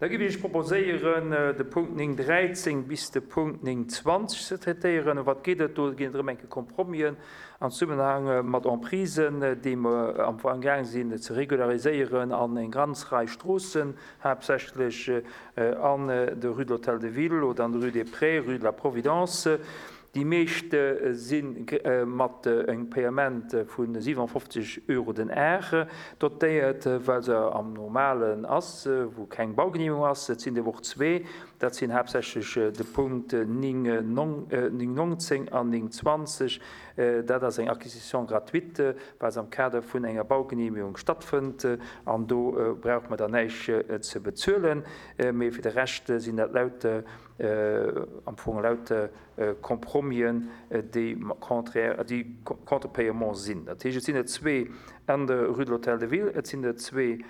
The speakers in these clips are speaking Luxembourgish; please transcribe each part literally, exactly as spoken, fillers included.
Da géif ech proposéieren, de Punkt néng dräizéng bis de Punkt néng zwanzeg ze traitéieren. Ëm wat geet et do? Et geet drëm, enke Compromisen am Zesummenhang mat Emprisen, déi mer am Fong gaang sinn ze regulariséieren an eng ganz Rei Stroossen, haaptsächlech an der Rue de l'Hôtel de Ville oder an der Rue des Prés, Rue de la Providence. Déi meescht si mat engem Paiement vu siwenafofzeg Euro den Ar dotéiert, well se am Normalen ass, wou keng Baugenehmegung ass. Et sinn der och zwee, dat sinn haaptsächlech de Punkt néng nonzéng an néng zwanzeg. Dat ass eng Acquisition gratuite, well se am Kader vun enger Baugenehmegung stattfënnt, an do brauch mer dann näischt ze bezuelen. Mee fir de Rescht sinn dat lauter, am Fong lauter Compromisen, déi contraire, déi contre paiement sinn. Dat heescht, et sinn der zwee an der Rue de l'Hôtel de Ville, et sinn der zwee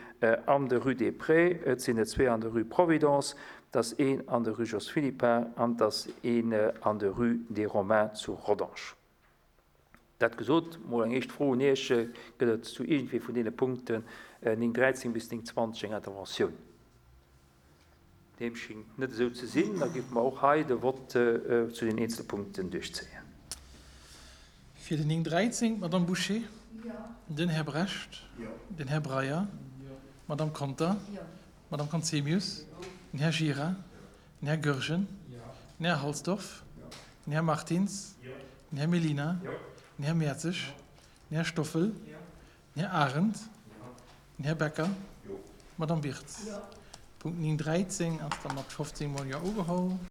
an der Rue des Prés, et sinn der zwee an der Rue Providence, et ass een an der Rue Jos Philippart an et ass een an der Rue des Romains zu Rodange. Dat gesot, mol eng éischt Fro un Iech, Gëtt et zu iergendwee vun deene Punkten néng dräizéng bis néng zwanzeg eng Interventioun? Deem schéngt net esou ze sinn. Da géife mer och hei de Vott zu den eenzele Punkten duerchzéien. Fir den néng dräizéng, d'Madame Bouché. Den Här Brecht. Den Här Breyer. D'Madame Conter. D'Madame Conzemius. Den Här Gira. Den Här Goergen. Den Här Halsdorf. Den Här Martins. Den Här Mellina. Den Här Mertzig. Den Här Stoffel. Den Här Arendt. Den Här Becker. D'Madame Wirtz. Punkt néng dräizéng ass da mat fofzéng mol Jo ugeholl.